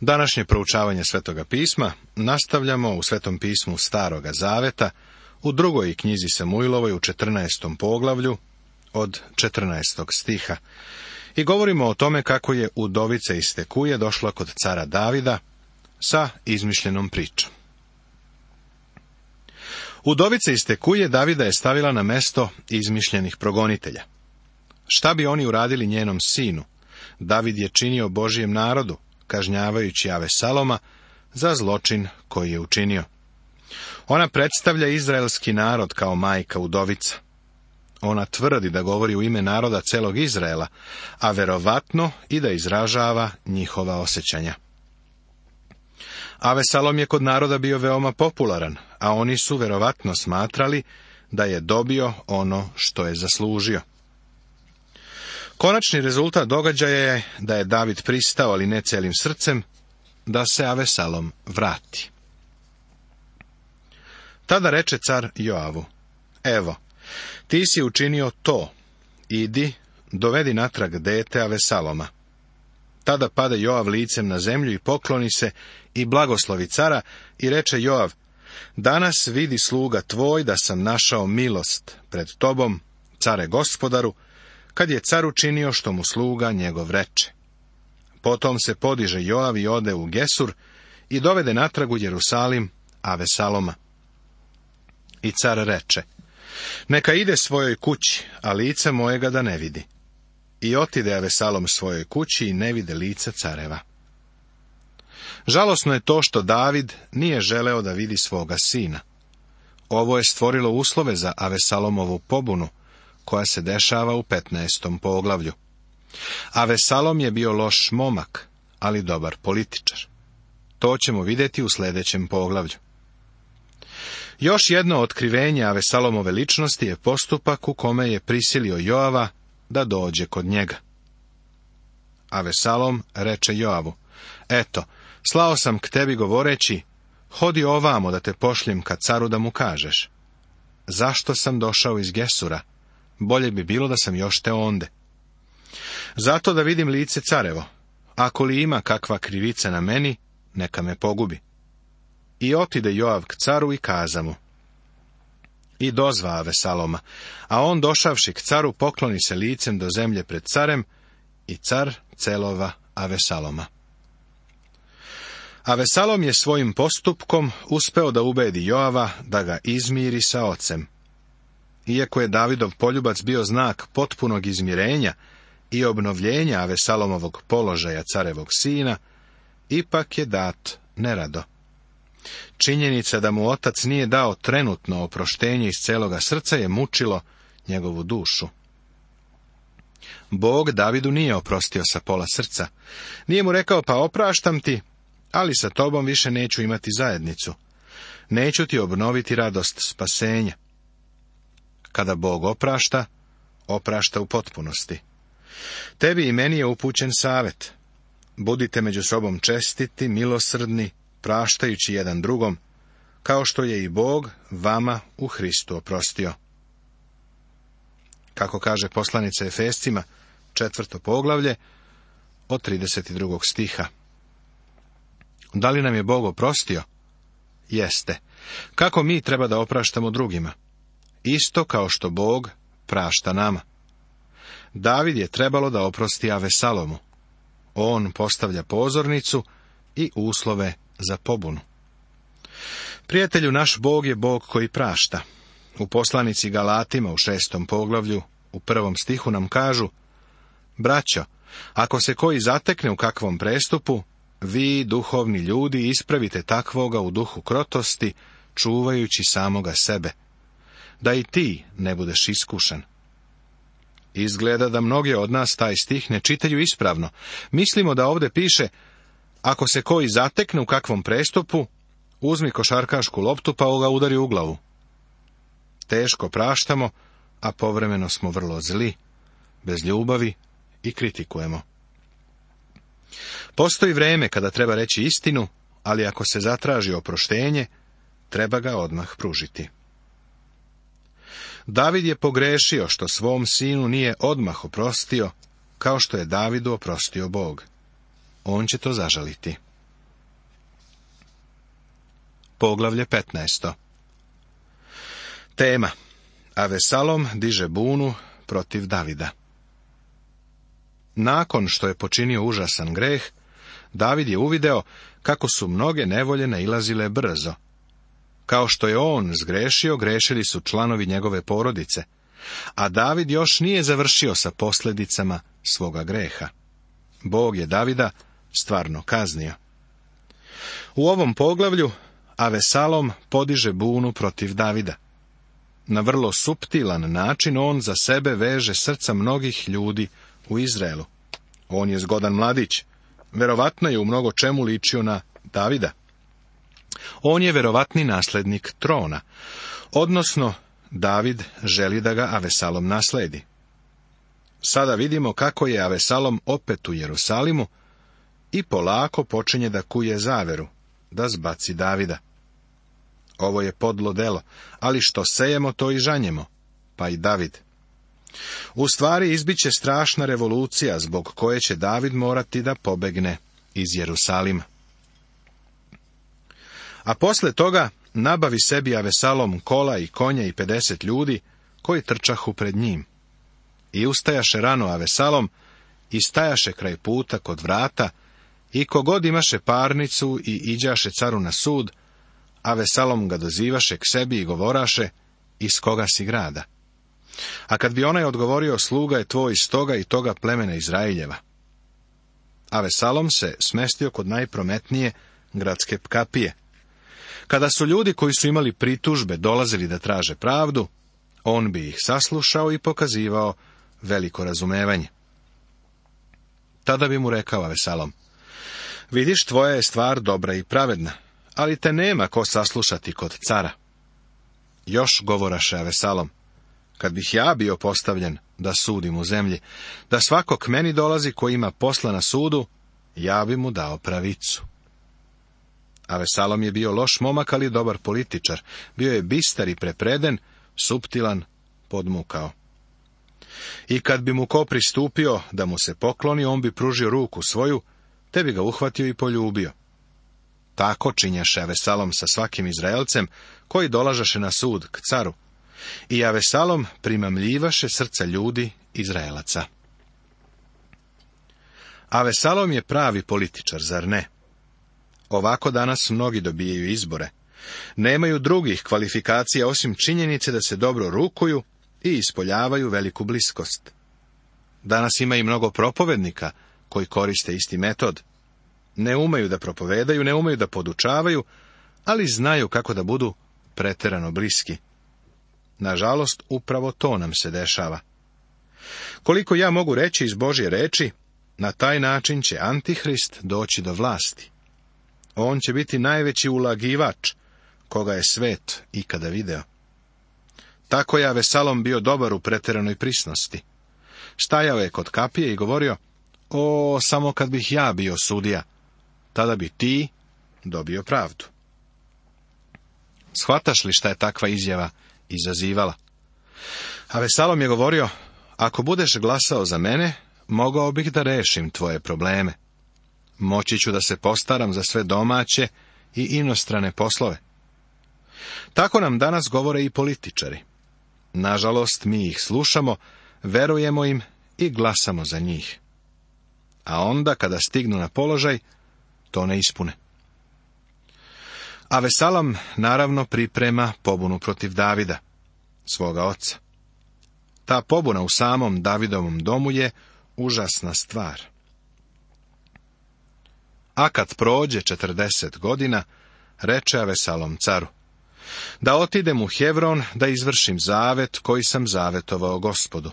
Današnje proučavanje Svetoga pisma nastavljamo u Svetom pismu Staroga zaveta, u drugoj knjizi Samuilovoj u 14. poglavlju od 14. stiha. I govorimo o tome kako je udovica iz Tekuje došla kod cara Davida sa izmišljenom pričom. Udovica iz Tekuje Davida je stavila na mesto izmišljenih progonitelja. Šta bi oni uradili njenom sinu? David je činio Božjem narodu, kažnjavajući Avesaloma za zločin koji je učinio. Ona predstavlja izraelski narod kao majka udovica. Ona tvrdi da govori u ime naroda celog Izraela, a verovatno i da izražava njihova osjećanja. Avesalom je kod naroda bio veoma popularan, a oni su verovatno smatrali da je dobio ono što je zaslužio. Konačni rezultat događaja je da je David pristao, ali ne celim srcem, da se Avesalom vrati. Tada reče car Joavu: evo, ti si učinio to, idi, dovedi natrag dete Avesaloma. Tada pade Joav licem na zemlju i pokloni se i blagoslovi cara i reče Joav: danas vidi sluga tvoj da sam našao milost pred tobom, care gospodaru, kad je car učinio što mu sluga njegov reče. Potom se podiže Joav i ode u Gesur i dovede natrag u Jerusalim Avesaloma. I car reče: neka ide svojoj kući, a lice mojega da ne vidi. I otide Avesalom svojoj kući i ne vide lica careva. Žalosno je to što David nije želeo da vidi svoga sina. Ovo je stvorilo uslove za Avesalomovu pobunu, koja se dešava u 15. poglavlju. Avesalom je bio loš momak, ali dobar političar. To ćemo vidjeti u sljedećem poglavlju. Još jedno otkrivenje Avesalomove ličnosti je postupak u kome je prisilio Joava da dođe kod njega. Avesalom reče Joavu: eto, slao sam k tebi govoreći, hodi ovamo da te pošljem ka caru da mu kažeš. Zašto sam došao iz Gesura? Bolje bi bilo da sam još te onde. Zato da vidim lice carevo. Ako li ima kakva krivica na meni, neka me pogubi. I otide Joav k caru i kaza mu. I dozva Avesaloma, a on došavši k caru pokloni se licem do zemlje pred carem i car celova Avesaloma. Avesalom je svojim postupkom uspeo da ubedi Joava da ga izmiri sa ocem. Iako je Davidov poljubac bio znak potpunog izmirenja i obnovljenja Avesalomovog položaja carevog sina, ipak je dat nerado. Činjenica da mu otac nije dao trenutno oproštenje iz celoga srca je mučilo njegovu dušu. Bog Davidu nije oprostio sa pola srca. Nije mu rekao: pa opraštam ti, ali sa tobom više neću imati zajednicu. Neću ti obnoviti radost spasenja. Kada Bog oprašta, oprašta u potpunosti. Tebi i meni je upućen savjet. Budite među sobom čestiti, milosrdni, praštajući jedan drugom, kao što je i Bog vama u Hristu oprostio. Kako kaže poslanica Efescima, 4. poglavlje, od 32. stiha. Da li nam je Bog oprostio? Jeste. Kako mi treba da opraštamo drugima? Isto kao što Bog prašta nama. David je trebalo da oprosti Avesalomu. On postavlja pozornicu i uslove za pobunu. Prijatelju, naš Bog je Bog koji prašta. U poslanici Galatima u 6. poglavlju u 1. stihu nam kažu: braćo, ako se koji zatekne u kakvom prestupu, vi, duhovni ljudi, ispravite takvoga u duhu krotosti, čuvajući samoga sebe, da i ti ne budeš iskušan. Izgleda da mnogi od nas taj stih ne čitaju ispravno. Mislimo da ovdje piše: ako se koji zatekne u kakvom prestupu, uzmi košarkašku loptu pa ga udari u glavu. Teško praštamo, a povremeno smo vrlo zli, bez ljubavi i kritikujemo. Postoji vrijeme kada treba reći istinu, ali ako se zatraži oproštenje, treba ga odmah pružiti. David je pogrešio što svom sinu nije odmah oprostio, kao što je Davidu oprostio Bog. On će to zažaliti. poglavlje 15. Tema: Avesalom diže bunu protiv Davida. Nakon što je počinio užasan greh, David je uvideo kako su mnoge nevolje nailazile brzo. Kao što je on zgrešio, grešili su članovi njegove porodice, a David još nije završio sa posljedicama svoga greha. Bog je Davida stvarno kaznio. U ovom poglavlju Avesalom podiže bunu protiv Davida. Na vrlo suptilan način on za sebe veže srca mnogih ljudi u Izraelu. On je zgodan mladić. Verovatno je u mnogo čemu ličio na Davida. On je verovatni naslednik trona, odnosno David želi da ga Avesalom nasledi. Sada vidimo kako je Avesalom opet u Jerusalimu i polako počinje da kuje zaveru, da zbaci Davida. Ovo je podlo delo, ali što sejemo, to i žanjemo, pa i David. U stvari izbiće strašna revolucija zbog koje će David morati da pobegne iz Jerusalima. A posle toga nabavi sebi Avesalom kola i konja i 50 ljudi koji trčahu pred njim. I ustajaše rano Avesalom i stajaše kraj puta kod vrata i kogod imaše parnicu i iđaše caru na sud, Avesalom ga dozivaše k sebi i govoraše: iz koga si grada? A kad bi onaj odgovorio: sluga je tvoj iz toga i toga plemena Izraeljeva. Avesalom se smestio kod najprometnije gradske kapije. Kada su ljudi koji su imali pritužbe dolazili da traže pravdu, on bi ih saslušao i pokazivao veliko razumevanje. Tada bi mu rekao Avesalom: vidiš, tvoja je stvar dobra i pravedna, ali te nema ko saslušati kod cara. Još govoraše Avesalom: kad bih ja bio postavljen da sudim u zemlji, da svako k meni dolazi koji ima posla na sudu, ja bi mu dao pravicu. Avesalom je bio loš momak, ali dobar političar. Bio je bistar i prepreden, suptilan, podmukao. I kad bi mu ko pristupio da mu se pokloni, on bi pružio ruku svoju, te bi ga uhvatio i poljubio. Tako činjaše Avesalom sa svakim Izraelcem koji dolažaše na sud k caru. I Avesalom primamljivaše srca ljudi Izraelaca. Avesalom je pravi političar, zar ne? Ovako danas mnogi dobijaju izbore. Nemaju drugih kvalifikacija osim činjenice da se dobro rukuju i ispoljavaju veliku bliskost. Danas ima i mnogo propovednika koji koriste isti metod. Ne umeju da propovedaju, ne umeju da podučavaju, ali znaju kako da budu preterano bliski. Nažalost, upravo to nam se dešava. Koliko ja mogu reći iz Božje reči, na taj način će Antihrist doći do vlasti. On će biti najveći ulagivač koga je svet ikada video. Tako je Avesalom bio dobar u preteranoj prisnosti. Stajao je kod kapije i govorio: o, samo kad bih ja bio sudija, tada bi ti dobio pravdu. Shvataš li šta je takva izjava izazivala? Avesalom je govorio: ako budeš glasao za mene, mogao bih da rešim tvoje probleme. Moći ću da se postaram za sve domaće i inostrane poslove. Tako nam danas govore i političari. Nažalost, mi ih slušamo, verujemo im i glasamo za njih. A onda, kada stignu na položaj, to ne ispune. Avesalom naravno priprema pobunu protiv Davida, svoga oca. Ta pobuna u samom Davidovom domu je užasna stvar. A kad prođe 40 godina, reče Avesalom caru: da otidem u Hevron da izvršim zavet koji sam zavetovao Gospodu.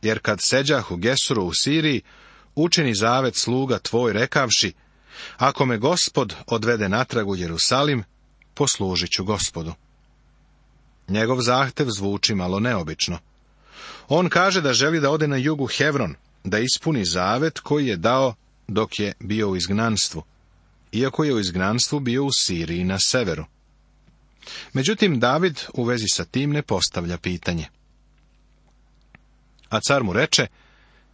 Jer kad seđah u Gesuru u Siriji, učini zavet sluga tvoj rekavši: ako me Gospod odvede natrag u Jerusalim, poslužit ću Gospodu. Njegov zahtev zvuči malo neobično. On kaže da želi da ode na jugu Hevron, da ispuni zavet koji je dao dok je bio u izgnanstvu, iako je u izgnanstvu bio u Siriji na severu. Međutim, David u vezi sa tim ne postavlja pitanje. A car mu reče: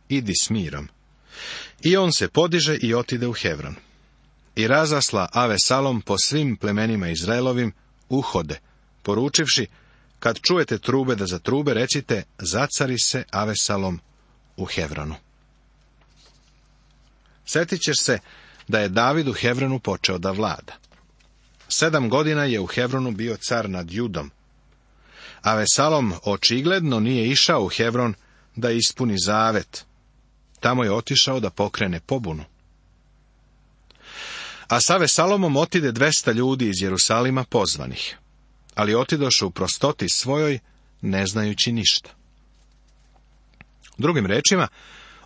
idi s mirom. I on se podiže i otide u Hevron. i razasla Avesalom po svim plemenima Izraelovim uhode, poručivši, kad čujete trube da zatrube, recite, zacari se Avesalom u Hevronu. Sjetit ćeš se da je David u Hevronu počeo da vlada. 7 godina je u Hevronu bio car nad Judom. Avesalom očigledno nije išao u Hevron da ispuni zavet. Tamo je otišao da pokrene pobunu. A s Avesalomom otide 200 ljudi iz Jerusalima pozvanih, ali otidoše u prostoti svojoj, ne znajući ništa. Drugim rečima,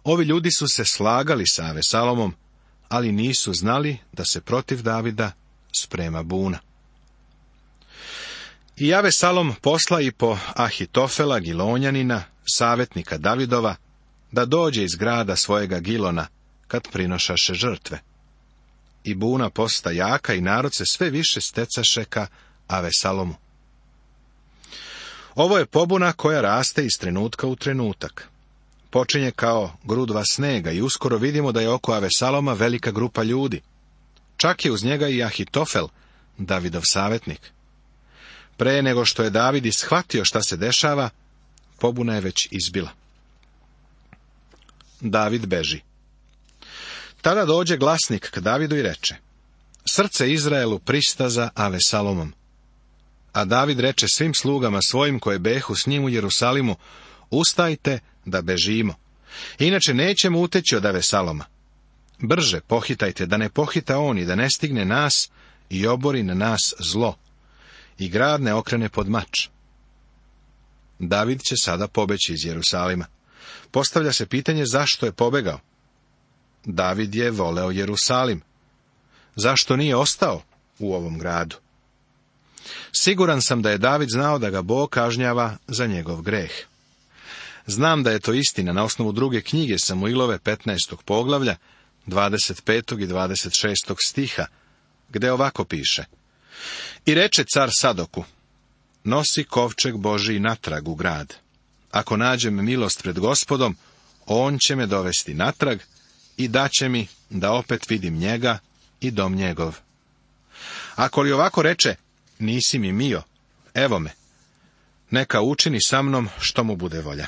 ovi ljudi su se slagali sa Avesalomom, ali nisu znali da se protiv Davida sprema buna. I Avesalom posla i po Ahitofela Gilonjanina, savjetnika Davidova, da dođe iz grada svojega Gilona, kad prinošaše žrtve. I buna posta jaka i narod se sve više stecaše ka Avesalomu. Ovo je pobuna koja raste iz trenutka u trenutak. Počinje kao grudva snega i uskoro vidimo da je oko Avesaloma velika grupa ljudi. Čak je uz njega i Ahitofel, Davidov savjetnik. Pre nego što je David ishvatio šta se dešava, pobuna je već izbila. David beži. Tada dođe glasnik k Davidu i reče, srce Izraelu pristaza Avesalomom. A David reče svim slugama svojim koje behu s njim u Jerusalimu, ustajte da bežimo, inače nećemo uteći od Avesaloma. Brže pohitajte, da ne pohita on i da ne stigne nas i obori na nas zlo, i grad ne okrene pod mač. David će sada pobeći iz Jerusalima. Postavlja se pitanje zašto je pobegao. David je voleo Jerusalim. Zašto nije ostao u ovom gradu? Siguran sam da je David znao da ga Bog kažnjava za njegov greh. Znam da je to istina na osnovu druge knjige Samuilove 15. poglavlja, 25. i 26. stiha, gde ovako piše. I reče car Sadoku, nosi kovčeg Božiji natrag u grad. Ako nađem milost pred Gospodom, on će me dovesti natrag i daće mi da opet vidim njega i dom njegov. Ako li ovako reče, nisi mi mio, evo me, neka učini sa mnom što mu bude volja.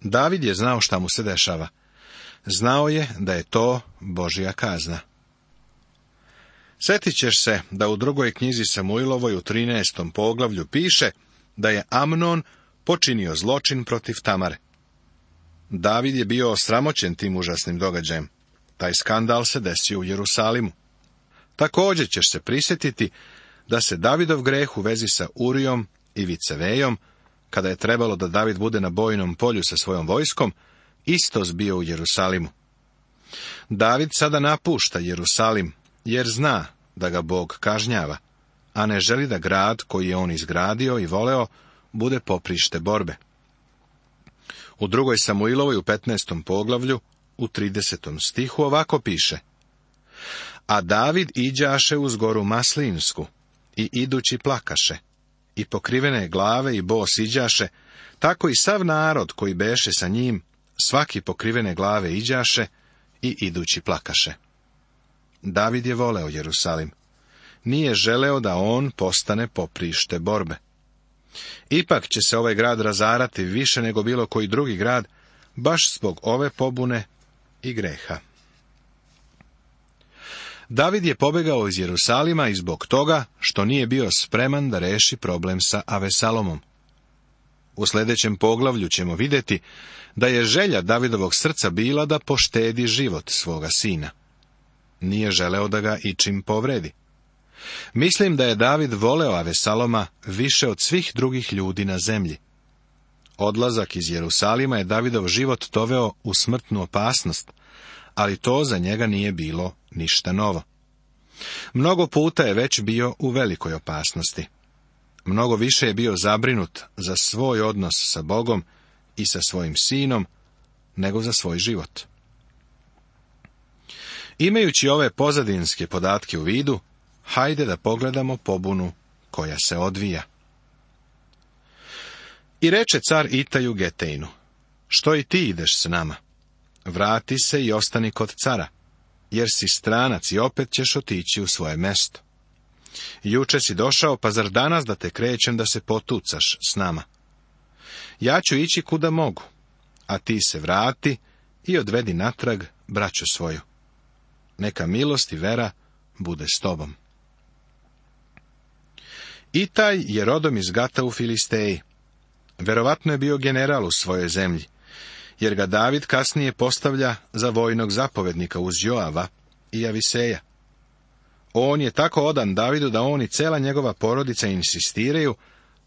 David je znao šta mu se dešava. Znao je da je to Božja kazna. Sjetit ćeš se da u drugoj knjizi Samuilovoj u 13. poglavlju piše da je Amnon počinio zločin protiv Tamare. David je bio osramoćen tim užasnim događajem. Taj skandal se desio u Jerusalimu. Također ćeš se prisjetiti da se Davidov greh u vezi sa Urijom i Vicevejom, kada je trebalo da David bude na bojnom polju sa svojom vojskom, isto zbio u Jerusalimu. David sada napušta Jerusalim, jer zna da ga Bog kažnjava, a ne želi da grad koji je on izgradio i voleo bude poprište borbe. U drugoj Samuilovoj u 15. poglavlju u 30. stihu ovako piše. A David iđaše uz goru Maslinsku i idući plakaše, i pokrivene glave i bos iđaše, tako i sav narod koji beše sa njim, svaki pokrivene glave iđaše i idući plakaše. David je voleo Jerusalim. Nije želeo da on postane poprište borbe. Ipak će se ovaj grad razarati više nego bilo koji drugi grad, baš zbog ove pobune i greha. David je pobegao iz Jerusalima i zbog toga što nije bio spreman da reši problem sa Avesalomom. U sljedećem poglavlju ćemo vidjeti da je želja Davidovog srca bila da poštedi život svoga sina. Nije želeo da ga ičim povredi. Mislim da je David voleo Avesaloma više od svih drugih ljudi na zemlji. Odlazak iz Jerusalima je Davidov život doveo u smrtnu opasnost, ali to za njega nije bilo ništa novo. Mnogo puta je već bio u velikoj opasnosti. Mnogo više je bio zabrinut za svoj odnos sa Bogom i sa svojim sinom, nego za svoj život. Imajući ove pozadinske podatke u vidu, hajde da pogledamo pobunu koja se odvija. I reče car Itaju Getejnu, što i ti ideš s nama? Vrati se i ostani kod cara. jer si stranac i opet ćeš otići u svoje mesto. Juče si došao, pa zar danas da te krećem da se potucaš s nama? Ja ću ići kuda mogu, a ti se vrati i odvedi natrag braću svoju. Neka milost i vera bude s tobom. Itaj je rodom iz Gata u Filisteji. Verovatno je bio general u svojoj zemlji, jer ga David kasnije postavlja za vojnog zapovednika uz Joava i Aviseja. On je tako odan Davidu da on i cela njegova porodica insistiraju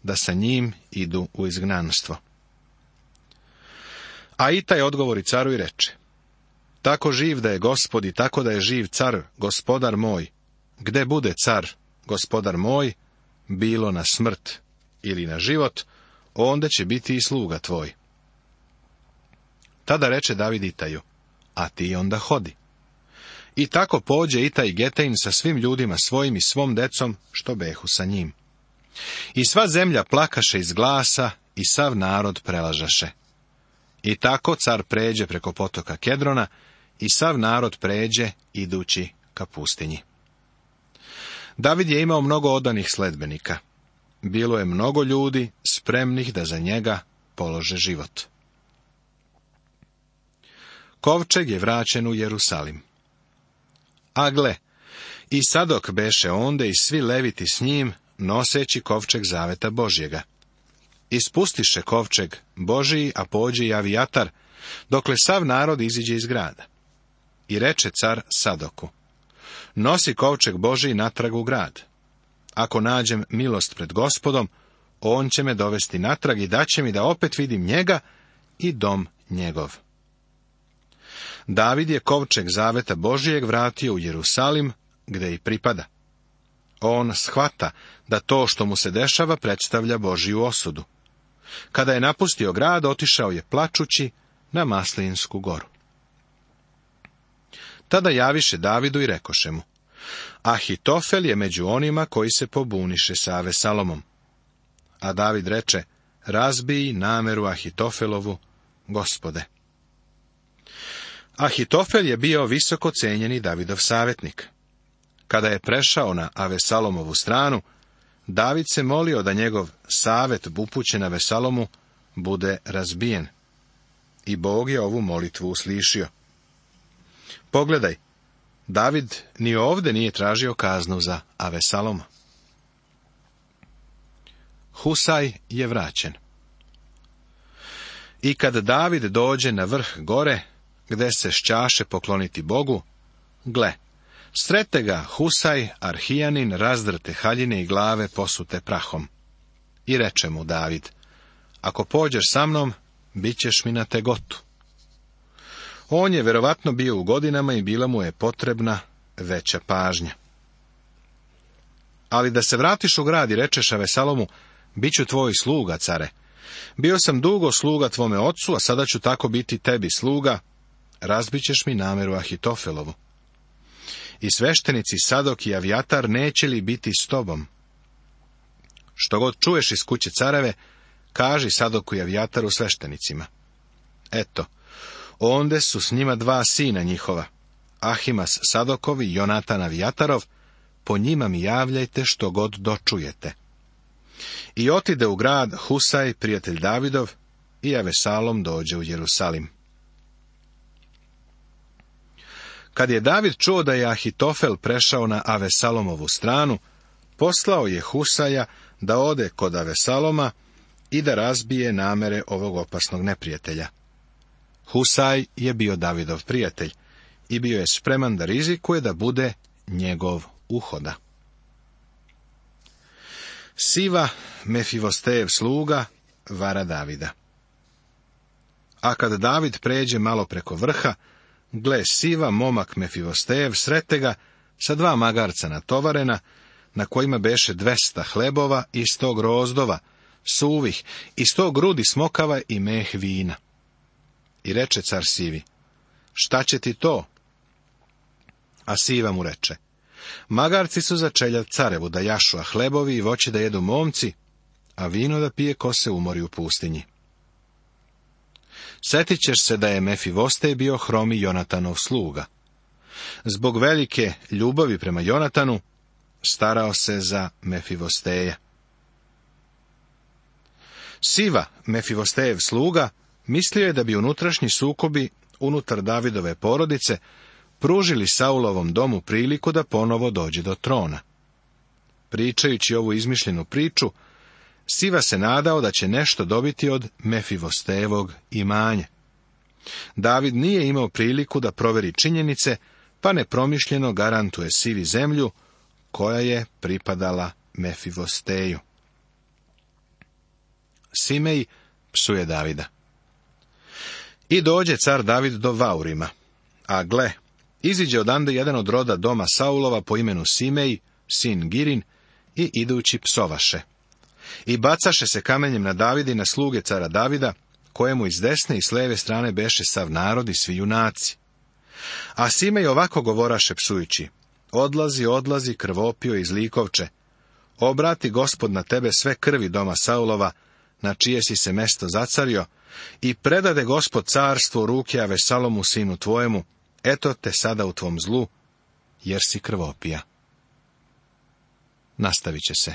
da sa njim idu u izgnanstvo. A Itaj odgovori caru i reče: tako živ da je Gospod i tako da je živ car, gospodar moj, gde bude car, gospodar moj, bilo na smrt ili na život, onda će biti i sluga tvoj. Tada reče David Itaju: a ti onda hodi. I tako pođe Itaj Getein sa svim ljudima svojim i svom decom, što behu sa njim. I sva zemlja plakaše iz glasa i sav narod prelažaše. I tako car pređe preko potoka Kedrona i sav narod pređe idući ka pustinji. David je imao mnogo odanih sledbenika. Bilo je mnogo ljudi spremnih da za njega polože život. Kovčeg je vraćen u Jerusalim. A gle, i Sadok beše onde i svi leviti s njim, noseći kovčeg zaveta Božjega. Ispustiše kovčeg Božiji, a pođe i Avijatar, dokle sav narod iziđe iz grada. I reče car Sadoku: nosi kovčeg Božiji natrag u grad. Ako nađem milost pred Gospodom, on će me dovesti natrag i daće mi da opet vidim njega i dom njegov. David je kovčeg zaveta Božijeg vratio u Jerusalim, gde i pripada. On shvata da to što mu se dešava predstavlja Božiju osudu. Kada je napustio grad, otišao je plačući na Maslinsku goru. Tada javiše Davidu i rekoše mu: Ahitofel je među onima koji se pobuniše sa Avesalomom. A David reče: razbij nameru Ahitofelovu, Gospode. Ahitofel je bio visoko cenjeni Davidov savjetnik. Kada je prešao na Avesalomovu stranu, David se molio da njegov savjet upućen Avesalomu bude razbijen. I Bog je ovu molitvu uslišio. Pogledaj, David ni ovde nije tražio kaznu za Avesaloma. Husaj je vraćen. I kad David dođe na vrh gore, gde se šćaše pokloniti Bogu, gle, srete ga Husaj, Arhijanin, razdrte haljine i glave posute prahom. I reče mu David: ako pođeš sa mnom, bit ćeš mi na tegotu. On je verovatno bio u godinama i bila mu je potrebna veća pažnja. Ali da se vratiš u grad i rečeš Avesalomu: bit ću tvoj sluga, care. Bio sam dugo sluga tvome ocu, a sada ću tako biti tebi sluga, razbićeš mi nameru Ahitofelovu. I sveštenici Sadok i Avijatar neće li biti s tobom? Što god čuješ iz kuće careve, kaži Sadoku i Avijataru sveštenicima. Eto, onde su s njima dva sina njihova, Ahimas Sadokov i Jonatan Avijatarov, po njima mi javljajte što god dočujete. I otide u grad Husaj, prijatelj Davidov, i Avesalom dođe u Jerusalim. Kad je David čuo da je Ahitofel prešao na Avesalomovu stranu, poslao je Husaja da ode kod Avesaloma i da razbije namere ovog opasnog neprijatelja. Husaj je bio Davidov prijatelj i bio je spreman da rizikuje da bude njegov uhoda. Siva, Mefivostejev sluga, vara Davida. A kad David pređe malo preko vrha, gle, Siva, momak Mefivostejev, srete ga sa dva magarca natovarena, na kojima beše 200 hlebova i 100 grozdova, suvih, i 100 grudi smokava i meh vina. I reče car Sivi: šta će ti to? A Siva mu reče: magarci su za čeljad carevu da jašu, a hlebovi i voće da jedu momci, a vino da pije ko se umori u pustinji. Setit ćeš se da je Mefivostej bio hromi Jonatanov sluga. Zbog velike ljubavi prema Jonatanu, starao se za Mefivosteja. Siva, Mefivostejev sluga, mislio je da bi unutrašnji sukobi unutar Davidove porodice pružili Saulovom domu priliku da ponovo dođe do trona. Pričajući ovu izmišljenu priču, Siva se nadao da će nešto dobiti od Mefivostejevog imanja. David nije imao priliku da proveri činjenice, pa nepromišljeno garantuje Sivi zemlju koja je pripadala Mefivosteju. Simej psuje Davida. I dođe car David do Vaurima, a gle, iziđe odande jedan od roda doma Saulova po imenu Simej, sin Girin, i idući psovaše. I bacaše se kamenjem na Davida i na sluge cara Davida, kojemu iz desne i s leve strane beše sav narod i svi junaci. A Simej ovako govoraše psujući: odlazi, odlazi, krvopio i zlikovče. Obrati Gospod na tebe sve krvi doma Saulova, na čije si se mesto zacario, i predade Gospod carstvo u ruke Avesalomu sinu tvojemu, eto te sada u tvom zlu, jer si krvopija. Nastavit će se